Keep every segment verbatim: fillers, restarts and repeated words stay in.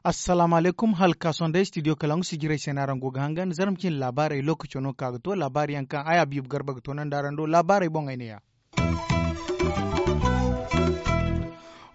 Assalaamu alaykum. Hala ka sohõ day studio kalangu sijirey se no araŋ go ga hangan zarma cine laabaarey lookaco no ka ga to laabaari yaŋ kaŋ ay habiibu garba ga toonandi araŋ do laabaarey boŋey ne ya.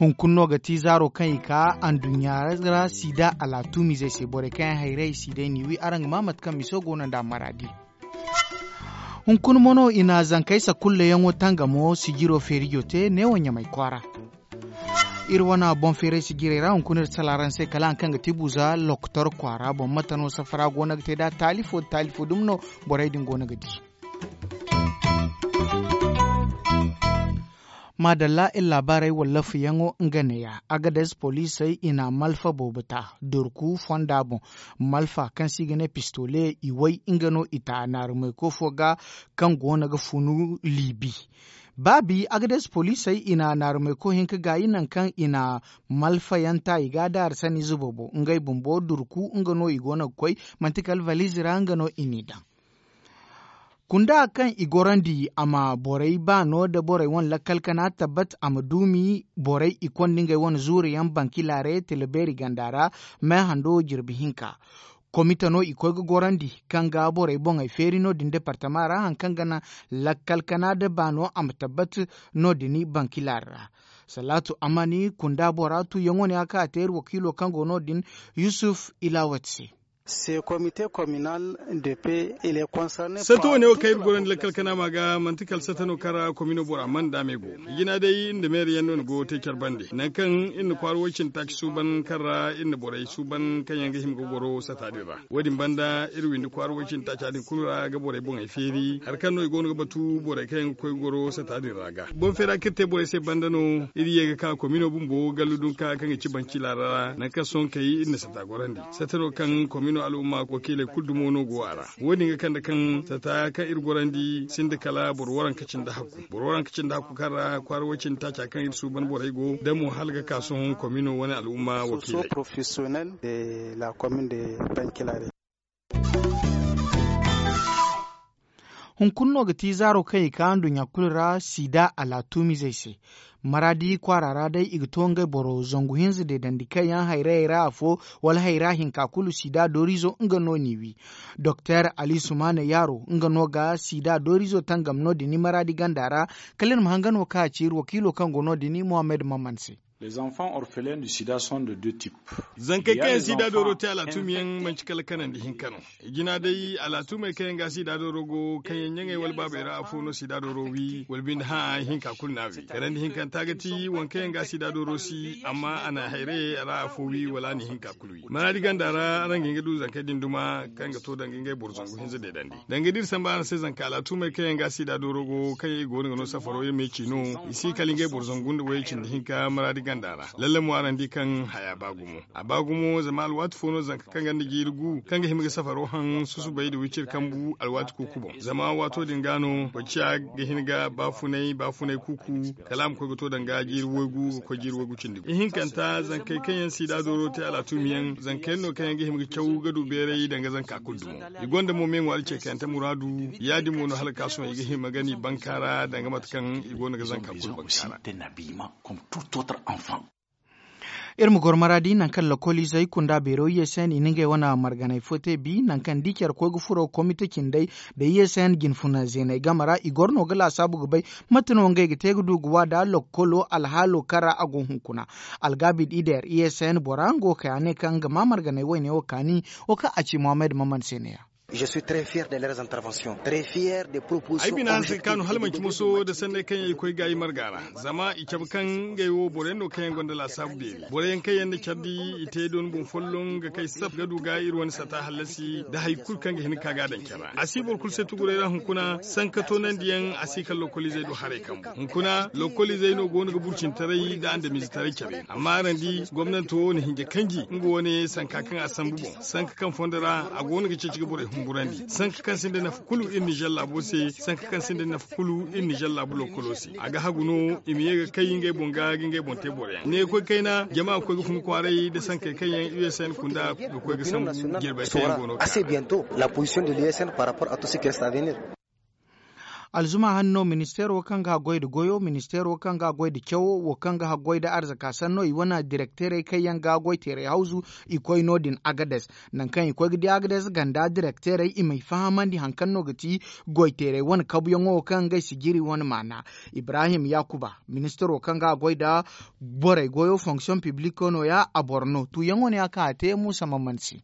Hunkuna no ga ti zaaro kaŋ i ka anduɲɲa ra sida alaatuumizey se borey kaŋ yaŋ hayray si day n'i wi araŋ ga maa mate kaŋ miso go no nd'a maraadi. Hunkuna mo no i na zankey sakulleyaŋo tangamo sijiro feerijo te neewo ɲamay kwaara. Iri wane boŋ feeray sijirey ra hunkuna iri sala araŋ se kala haŋ kaŋ ga ti buza lokotor kwaara boŋ mate no safara go no ga te nd'a taali fo da taali fo dumi no. Borey din go no ga di. Maadalla iri laabaarey wallafayaŋo nga neeya. Agades poliisey i na malfa boobo ta durku fonda boŋ. Malfa kaŋ se i ga ne pistole i way nga no i ta naarumayko fo ga kaŋ go no ga funu liibi. Baabi agades poliisey i na naarumayko hinka gaayi nangu kaŋ i na malfayaŋ ta i ga a daari sanniize boobo ngey bumbo durku nga no i go no ga koy. Manti kala valiize ra nga no i n'i daŋ. Kunda kaŋ i gorandi a ma borey baano nda borey wane lakkal kana tabbat a ma duumi borey i konda ngey wane zuuriyaŋ banki laare tila beeri ganda ra. Meehando jirbi hinka komite no i koy ga gorandi kaŋ ga borey boŋey feeri no- din departama ra hari kaŋ ga naŋ lakkal kana nda baano a ma tabbat no- din banki laare ra. Salaatu amani kunda bora tuuyaŋo ne a ka a te iri wakiilo kaŋ go no- din yusuf ilawat se. Satta wane wo kaŋ iri gorandi lakkal kanaama ga manti kala satta no kaŋ ra komino bora mana daamey go. Jina day iri nda meeri yaŋ no ni go ga te care bande nangu kaŋ iri na kwaara woy cindi taaci suuban kaŋ ra iri na borey suuban kaŋ yaŋ ga hima ga goro satta din ra. Wo- din banda iri windi kwaara woy cindi taaca din kulu ra ga borey boŋey feeri hari kaŋ no i go no ga batu borey kaŋ yaŋ ga koy ga goro satta din ra ga boŋ feera kaŋ iri te borey se banda no. Iri ye ga ka komino bumbo gallu dunka kaŋ ga ci banci laara ra nangu kaŋ sohõ kay iri na satta gorandi. Satta no kaŋ komino al'umma wakiiley kulu dumo no go a ra. Wo- din ga kande kaŋ satta kaŋ iri gorandi sinda kala boro waranka cindi hakku boro waranka cindi hakku kaŋ ra kwaara woy cindi taaca kaŋ iri suuban borey go da mo hala ga ka sohõ komino wane al'umma wakiiley. Hunkuna no ga ti zaaro kaŋ i ka nduɲɲa kulu ra sida alaatuumizey se. Maraadi kwaara ra day i ga to ngey boro zangu hinza deedandi kaŋ yaŋ hayrayey ra afo wala hayra hinka kulu sida dooriizo nga no n'i wi. Doktor ali sumaana yaaro nga no ga sida dooriizo tangam no- din maraadi ganda ra. Kala iri ma hanga no kaŋ a ci iri wakiilo kaŋ go no- din mohammed maman se. Zankey kaŋ yaŋ sida dooro te alaatuumi yaŋ manci kala kanandi hinka no. Jina day alaatuumey kaŋ yaŋ ga sida dooro go kaŋ yaŋ ɲaŋey wala baabey ra afo no sida dooro wi wala binde hã hinka kulu no a wi. Kanandi hinkanta ga ti waŋ kaŋ yaŋ ga sida dooro si amma a na hayrayey ra afo wi wala a na hinka kulu wi maraadi ganda ra araŋ ga hin ga du zankey din duma kaŋ ga to danga ngey boro zangu hinza deedandi. Danga da iri samba araŋ se zanka alaatuumey kaŋ yaŋ ga sida dooro go kaŋ yaŋ i go no ga no safaro iri ma i ci no. I si kala ngey boro zangu nda wayey cindi hinka maraadi ganda ra. Lalle mo araŋ di kaŋ haya ba gumo a ba gumo zama alwaati fo no zanka kaŋ ganda jiiri gu kaŋ ga hima ga safaro haŋ susubay nda wiciri kambu alwaati kuuku boŋ zama waato din ga no boro ciya ga hin ga baafunay baafunay kuuku kala a ma koy ga to danga jiiri waygu ga koy jiiri waygu cindi gu ihinkanta zankey kaŋ yaŋ sida dooro te alaatuumi yaŋ zankey yaŋ no kaŋ yaŋ ga hima ga caw ga du beeray danga zanka kulu dumo. I gonda mo me ŋwaari ce kayante muraadu ya- din mo no hala ga ka sohõ i ga hima ga ni bankaara danga mate kaŋ i go no ga zanka kulu bankaara. Iri ma goro maraadi nangu kaŋ lokoliizey kunda beero i ye se no i na ngey wane marganey fo te bi nangu kaŋ da i care koy ga furo komite cindey nda i ye se no jinfuna zeeney game ra i goro no ga laasaabu ga bay mate no ngey ga te ga du ga waada lokolo alhaalo kaŋ ra a go hunkuna. Algaabi da i deer i ye se no bora nga wo kay a ne kaŋ nga ma marganey wayne wo kaani. Wo kaŋ a ci mohammed maman se ne- ya. Ay bina hanse ga kaanu hala manci moso nda sanney kaŋ yaŋ i koy gaayi marga ra. Zama i cabe kaŋ ngey wo boro yaŋ no kaŋ yaŋ gonda laasaabu beeri boro yaŋ kaŋ yaŋ na care di i te dooni boŋ folloŋ ga kay saf ga du ga iri wane sata hallasi nda hari kulu kaŋ ga hin ga ka ga a daŋ care ra a si boro kulu se tuguray ra hunkuna sanka toonandi yaŋ a si kala lokoliizey do haray kambu hunkuna lokoliizey no go no ga burcintaray nda andamiizetaray care yaŋ amma araŋ di gomnanto na hinja kanji nga wane sanka kaŋ a sambu boŋ sanka kaŋ fondo ra a go no ga ceeci ga borey Sanka kaŋ sinda nafa kulu iri nizer laabo se, sanka kaŋ sinda nafa kulu iri nizer laabu lokolo se. A ga hagu no i ma ye ga kay ngey boŋ ga ga ngey boŋ te boro yaŋ ne ga koy kayna jama ga koy ga fun kwaaray nda sankey kaŋ yaŋ usn kunda ga koy ga sambu jirbey kaŋ yaŋ go no ga te. Alzuma hanno ministeero kaŋ ga haggoy nda goyo ministeero kaŋ ga haggoy nda cawo wo kaŋ ga haggoy nda arzaka sanno i wane direkteerey kaŋ yaŋ ga goy teeray hawzu. I koy no- din agades nangu kaŋ i koy ga di agades ganda direkteerey i m'ay fahamandi hari kaŋ no ga ti goy teeray wane kabuyaŋo wo kaŋ ngey sijiri wane maana. Ibrahim yakuba ministeero kaŋ ga haggoy nda borey goyo fonksiyoŋ pibliiko no- ya a boro no tuuyaŋo no- ya kaŋ a te muusa ma man se.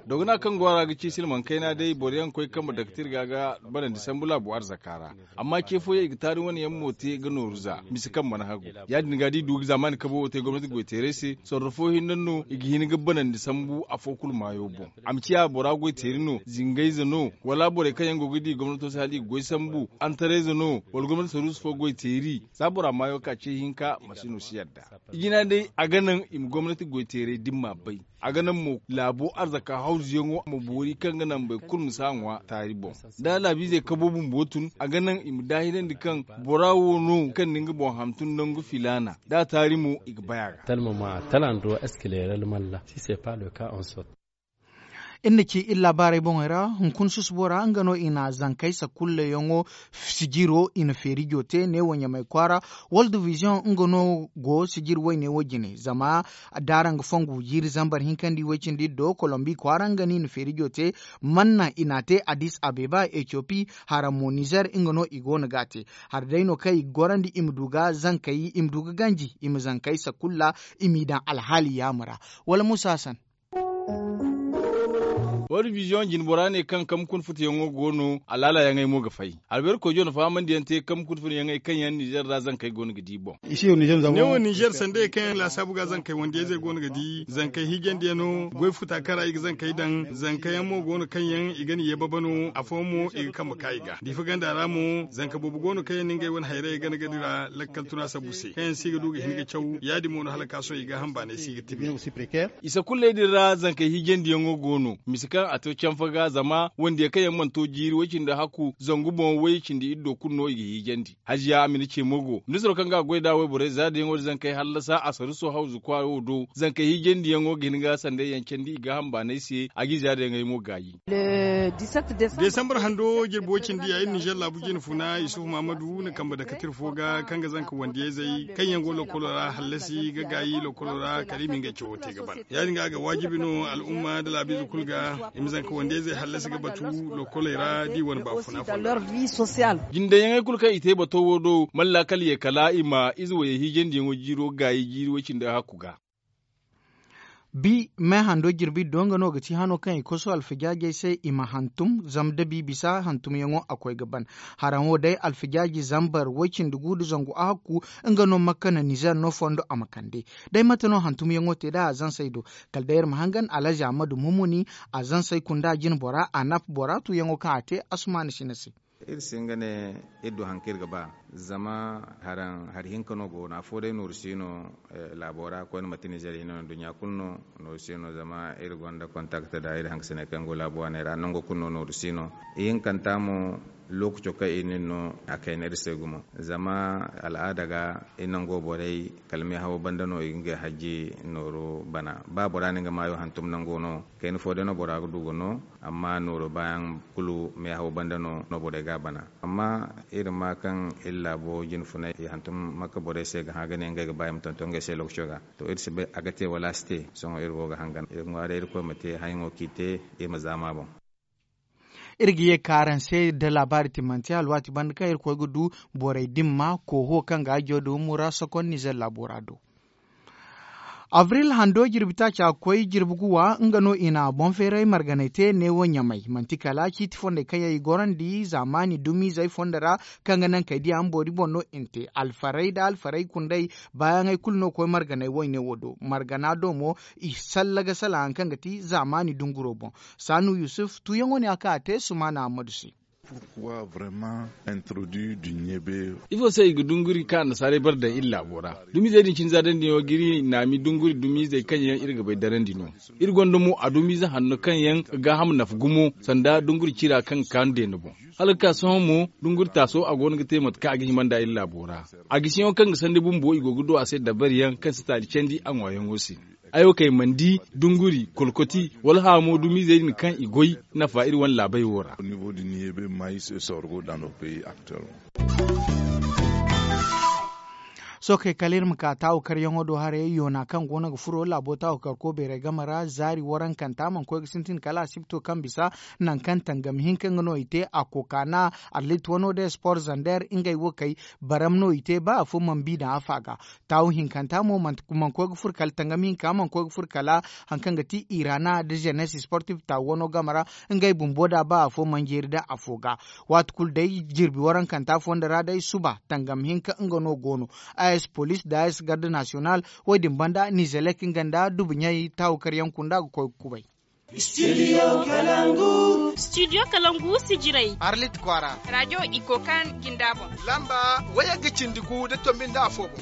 Dogana kaŋ go a ra ga ci silmaŋ kayna day boro yaŋ ga koy ga kambe daktir ga ga banandi sambu laabu arzaka ra. Amma ce fooyaŋ i ga taari wane yaŋ mo te ga nooru za mise kaŋ mana hagu. Ya- din ga da i du ga zaamaani kabo wo te gomnati goy teeray se sorro fo hinne no i ga hin ga banandi sambu afo kulu maayo boŋ. A ma ciya bora goy teeri no zingayze no wala borey kaŋ yaŋ go ga di gomnato se hala i ga goy sambu antarayze no wala gomnati saruusu fo goy teeri. Za bora maayo ka ce hinka masino si yadda. I jina day a ga naŋ i ma gomnati goyteeray da ni m'a bay. A ga naŋ mo laabo arzaka hawzuyaŋo ma boori kaŋ ga naŋ boro kulu ma si a ŋwa taari boŋ. Da laabiizey kabo bumbo tun a ga naŋ i ma daahirandi kaŋ bora wo no kaŋ na nga boŋ hantum nangu filaana da a taari mo i ga bay a ga. Iri na ci iri laabaarey boŋey ra hunkuna susubo ra nga no i na zankey sakulleyaŋo sijiro i na feerijo te neewo ɲamey kwaara. World vision nga no go sijiri woyne wo jine zama da araŋ ga fongu jiiri zambar hinka nda i woy cindi do kolombi kwaara nga no i na feerijo te. Manna i n'a te addis abeba etiopi hara mo nizer nga no i go no ga a te. Hara day no kaŋ i ga gorandi i ma du ga zankey i ma du ga ganji i ma zankey sakulla i m'i daŋ alhaali yaama ra. Wala musa hasan. World vision jinbora ne kaŋ kambe kuna futuyaŋo go no alaalayaŋey mo ga fay. Albeeri koyjo na fahamandiyaŋ te kambe kuna futuyaŋey kaŋ yaŋ nizer ra zankey go no ga di boŋ. Ne wo nizer sandayey kaŋ yaŋ laasaabu ga zankey wandiyayzey go no ga di zankey hiijandiyaŋo goy futa kaŋ ra i ga zankey daŋ zankayaŋ mo go no kaŋ yaŋ i ga ni ye baba no afooyaŋ mo i ga kambe ka i ga diifa ganda ra mo zanka boobo go no kaŋ yaŋ na ngey wane hayrayey gana gadi ra lakkal tuna sabu se kaŋ yaŋ si ga du ga hin ga caw ya- din mo no hala ka sohõ i gaaham baanay si ga tibi. I sakulley din ra zankey hiijandiyaŋo go no mise kaŋ a to canfa ga zama wandiya kaŋ yaŋ mana to jiiri way-cindi hakku zangu boŋ way-cindi iddo kulu no i ga hiijandi. Hajiya amina ce mo go ministiro kaŋ ga a goy nd'a wayborey zaadayaŋo din zankey hallasa a saruso hawzu kwaara wo do zankey hiijandiyaŋo ga hin ga sanday yaŋ candi i gaaham baanay se a g'i zaadayaŋey mo gaayi. Desambar hando jirbi way-cindi ya iri nizer laabu jine funa yusuf mahamadu na kambe dakatir fo ga kaŋ ga zanka wandiyayzey kaŋ yaŋ go lokolo ra hallasi ga gaayi lokolo ra kala i ma ngey cawo te ga ban. Ya- din ga a ga waajibi no al'umma nda laabiize kulu ga i ma zanka wandiyayzey hallasi ga batu lokoley ra da i wane baafuna fonda ra. Jindeyaŋey kulu kaŋ i te bato wo do mana laakal ye kala i ma ize wayey hiijandiyaŋo jiiro gaayi jiiri way-cindi hakku ga. Bi me hando jirbi do nga no ga ti hano kaŋ i koso alfijaajey se i ma hantum zama da bi bisa hantumyaŋo a koy ga ban. Haraŋo day alfijaaji zambar way-cindi gu nda zangu a hakku nga no makka na nizer no fondo a ma kande. Day mate no hantumyaŋo te da a zansey do? Kala day iri ma hangan alhazi ahmadu mumuni a zansey kunda jinbora a nap bora tuyaŋo kaŋ a te asumana sina se. Iri si nga ne iri du hari kaŋ iri ga ba zama hari hinka no go no afo day nooru si no. Laabo ra koyne manti nizer hinne no nduɲɲa kulu no nooru si no zama iri gonda kontakte nda iri hankasiney kaŋ go laabo waaney ra nango kulu no nooru si no. Ihinkanta mo lookaco kaŋ iri na iri no a kayna iri se gumo zama al'aada ga iri nango borey kala meehawo banda no i ga ngey hajji nooru bana ba bora na nga maayo hantum nango no. Kayna fo day no bora ga du ga no amma nooru baayaŋ kulu meehaw banda no no borey ga a bana. Amma iri ma kaŋ iri laabo jine funay i hantum makka borey se ga hã ga ne ngey ga ba i ma tonton ngey se lokaco ga. To iri si bay a ga te wala a si te. Sohõ iri go ga hangan iri ŋwaaray irkoy ma te hayaŋo kaŋ i te. Iri ma zaama boŋ. Iri ga ye ka araŋ se da laabaari timmante alwaati banda kaŋ iri koy ga du borey dimma kooho kaŋ ga a jaw da humura sokon nizer laabo ra do. Avril hando jirbi taaca koy jirbi guwa nga no i na boŋ feeray marganay te neewo ɲamay manti kala ciiti fondey kaŋ yaŋ i gorandi zaamaani dumiizey fondo ra. Kaŋ ga naŋ kay diya mboori boŋ no i na te alfarey nda alfarey kundey baayaŋey kulu no koy marganay wayne wo do margana do mo i salla ga salaŋ hari kaŋ ga ti zaamaani dunguro boŋ. Saanu yusuf tuuyaŋo ne a ka a te sumaana ammadu se. Ifo se i ga dunguri kaŋ annasaarey bare daŋ iri laabo ra? Dumizey din cine za daŋ din wo ga iri naami dunguri dumizey kaŋ yaŋ iri ga bay darandi no. Iri gonda mo adumiize hanno kaŋ yaŋ ga gaaham nafa gumo sanda dunguri cira kaŋ ga kaanu deene boŋ. Hala ga ka sohõ mo dunguri taaso a go no ga te mate kaŋ a ga hima nd'a iri laabo ra. A gisiyaŋo kaŋ ga sandi bumbo i go ga du a se dabari yaŋ kaŋ si taali candi a ŋwaayaŋo se. Ay wo kay mana di dunguri kolkoti wala haamo dumiizey din kaŋ i goy nafa iri wane laabey wo ra. Sohõ kay kala iri ma ka taawu karyaŋo do haray yoona kaŋ go no ga furo laabo taawu karko beeray game ra zaari warankanta mana koy ga sintin kala asibto kaŋ bisa nangu kaŋ tangam hinka nga no i te a kokaana arlit wano day sport zander ngey wo kay baram no i te ba afo mana bi daŋ afa ga. Taawu hinkanta mo mana koy ga furo kala tangam hinka mana koy ga furo kala hari kaŋ ga ti irana da jenes sportif taawu wano game ra ngey bumbo da ba afo mana jeeri da afo ga. Waati kulu day jirbi warankanta fondo ra day suba tangam hinka nga no go no. As police da as garde national wo- din banda nizelek nga nda dubuɲey taawu karyaŋ kunda ga koy ga kubay. Studio kalangu sijirey arlit kwaara radio iko kaŋ jinda boŋ lamba wayagga cindi gu da tombi nda afo boŋ.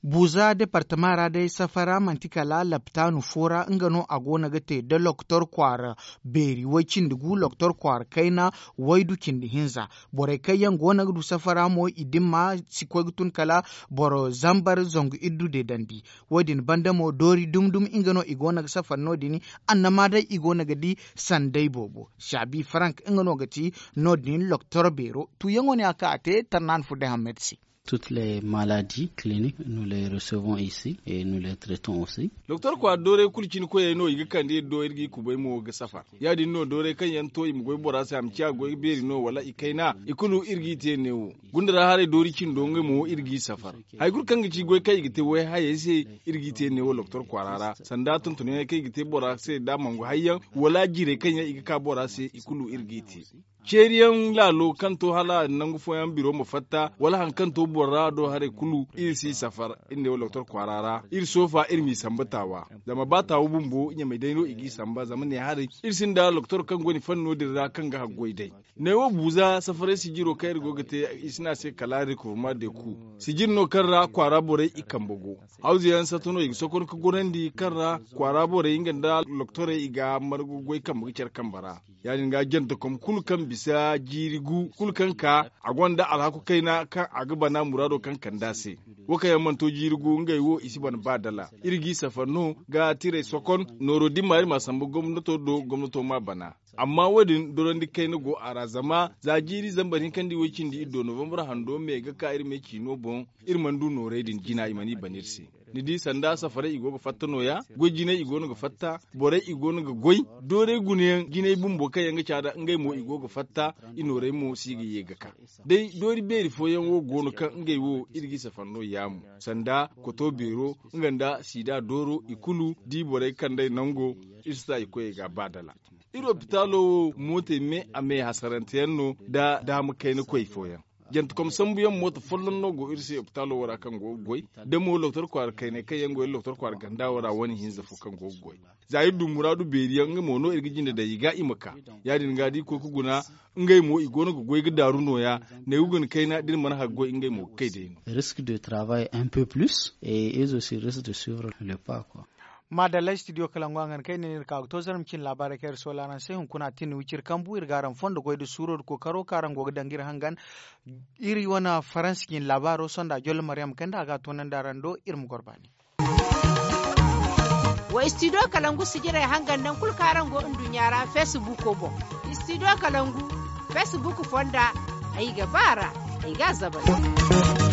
Buuza departama ra day safara manti kala laptaanu fo ra nga no a go no ga te da loktor kwaara beeri way cindi gu loktor kwaara kayna waydu cindi hinza. Borey kaŋ yaŋ go no ga du safara mo i dimma si koy ga tun kala boro zambar zangu iddu de dandi. Wo- din banda mo doori dum dum nga no i go no ga safar no- din annama day i go no ga di sanday boobo. Saabi farank nga no ga ti no- din loktor beero tuuyaŋo ne a ka a te tarnaani fo day hammad se. Toutes les maladies cliniques nous les recevons ici et nous les traitons aussi. Doktor kwaara dooray kulu cine koyey no i ga kande iri do iri g'i kubay mo ga safar. Ya- din no dooray kaŋ yaŋ to i ma goy bora se a ma ciya goy beeri no wala i kayna i kulu iri g'i te neewo. Gunda ra haray doori cindo ngey mo iri g'i safar. Hari kulu kaŋ ga ci goy kaŋ i ga te way hayey se iri g'i te neewo doktor kwaara ra sanda tontonyaŋey kaŋ i ga te bora se da mangu hayyaŋ wala jiirey kaŋ yaŋ i ga ka bora se i kulu iri g'i te. Ceeriyaŋ laalo kaŋ to hala nangu fooyaŋ biro ma fatta wala hari kaŋ to boro ra do haray kulu iri si safar iri ne wo doktor kwaara ra iri soofa iri m'i samba taawa. Zama ba taawa bumbo ɲamey day no i g'i samba zama ne haray iri sinda doktor kaŋ go ni fanno din ra kaŋ ga haggoy day. Ne wo buuza safaray sijiro kaŋ iri go ga te i si ne a se kala rekurma de ku sijir no kaŋ ra kwaara borey i kambe go. Hawza yaŋ sato no i ga sokon ga gorandi kaŋ ra kwaara borey nga nda doktorey i ga margu goy kambe ga care kambe ra. Ya- din ga jantakom kulu kaŋ bisa jiiri gu kulu kaŋ ka a gonda alhaku kayna kaŋ a ga bana muraado kaŋ kand'a se. Wo kaŋ yaŋ mana to jiiri gu ngey wo i si bana ba dala iri g'i safar no ga tiray sokon nooro dimma iri m'a sambu gomnato do gomnato m'a bana. Amma wo- din dorandi kayna go a ra zama za jiiri zambar hinka nda iway cindi iri do novambar hando me ga ka iri me ciino boŋ. Iri mana du noorey din jina i mana i bana iri se. Ni di sanda safarey i go ga fatta nooya goy jinay i go no ga fatta borey i go no ga goy. Doorey gunayaŋ jinay bumbo kaŋ yaŋ ga caada ngey mo i go ga fatta. I noorey mo si ga ye ga ka day doori beeri fooyaŋ wo go no kaŋ ngey wo iri g'i safar no yaamu sanda koto beero nga nda siida dooro i kulu da i borey kand'ey nango. Iri si ta i koyey ga ba dala. Iri opitaalo wo mootey me a me hasarante yaŋ no nda daama kayna koy fooyaŋ. Jantekom sambuyaŋ mooto folloŋ no go iri se opitaalo wo ra kaŋ go ga goy da mo doktor kwaara kayney kaŋ yaŋ go iri doktor kwaara ganda wo ra wane hinza fo kaŋ go ga goy. Za iri du muraadu beeri yaŋ nga mo no iri ga jinde daŋ i ga i ma ka. Ya- din ga da i koy ga guna ngey mo i go no ga goy ga daaru nooya. Ne ga guna kayna da iri mana haggoy ngey mo ga kay day no. Risque de travail un peu plus et iri aussi risque de suivre le pas quoi. Maadalla studio kalangu a ga ni kay ne no iri ka ga to zarma cine laabaarey kaŋ iri soola araŋ se hunkuna a tin wiciri kambu iri ga araŋ fondo goy nda suuro nda kookaro kaŋ araŋ go ga daŋ ga iri hangan. Iri wane faransi cine laabaaro sonda jolle maryam kande a ga a toonandi araŋ do iri ma goro baani. Wa studio kalangu sijirey hangan nangu kulu kaŋ araŋ go nduɲɲa ra facebook boŋ. Studio kalangu facebook fonda ay ga ba a ra ay ga a zabari.